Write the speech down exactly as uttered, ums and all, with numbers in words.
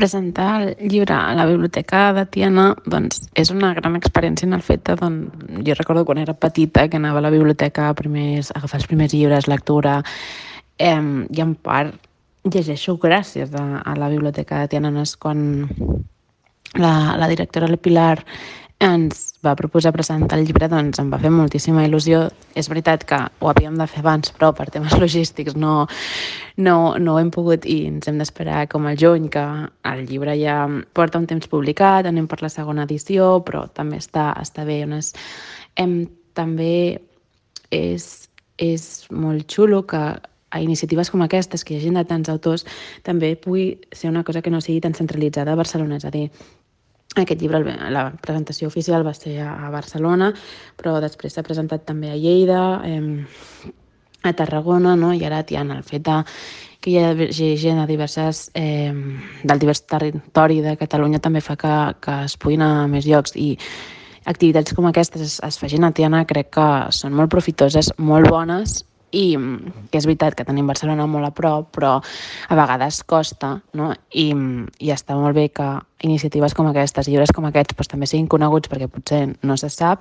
Presentar el llibre a la biblioteca de Tiana doncs, és una gran experiència en el fet de, doncs, jo recordo quan era petita que anava a la biblioteca a, primers, a agafar els primers llibres, lectura, eh, i en part llegeixo gràcies a, a la biblioteca de Tiana. No és quan la, la directora, la Pilar, ens va proposar presentar el llibre, doncs em va fer moltíssima il·lusió. És veritat que ho havíem de fer abans, però per temes logístics no, no, no ho hem pogut i ens hem d'esperar com al juny, que el llibre ja porta un temps publicat, anem per la segona edició, però també està, està bé. És, hem, també és, és molt xulo que a iniciatives com aquestes, que hi hagi de tants autors, també pugui ser una cosa que no sigui tan centralitzada a Barcelona. És a dir, aquest llibre, la presentació oficial va ser a Barcelona, però després s'ha presentat també a Lleida, eh, a Tarragona, no? I ara Tiana, el fet de que hi hagi gent de diverses, eh, del divers territori de Catalunya també fa que, que es puguin anar a més llocs, i activitats com aquestes es, es facin a Tiana crec que són molt profitoses, molt bones, i que és veritat que tenim Barcelona molt a prop, però a vegades costa, no? I, i està molt bé que iniciatives com aquestes, llibres com aquests, doncs, també siguin coneguts, perquè potser no se sap,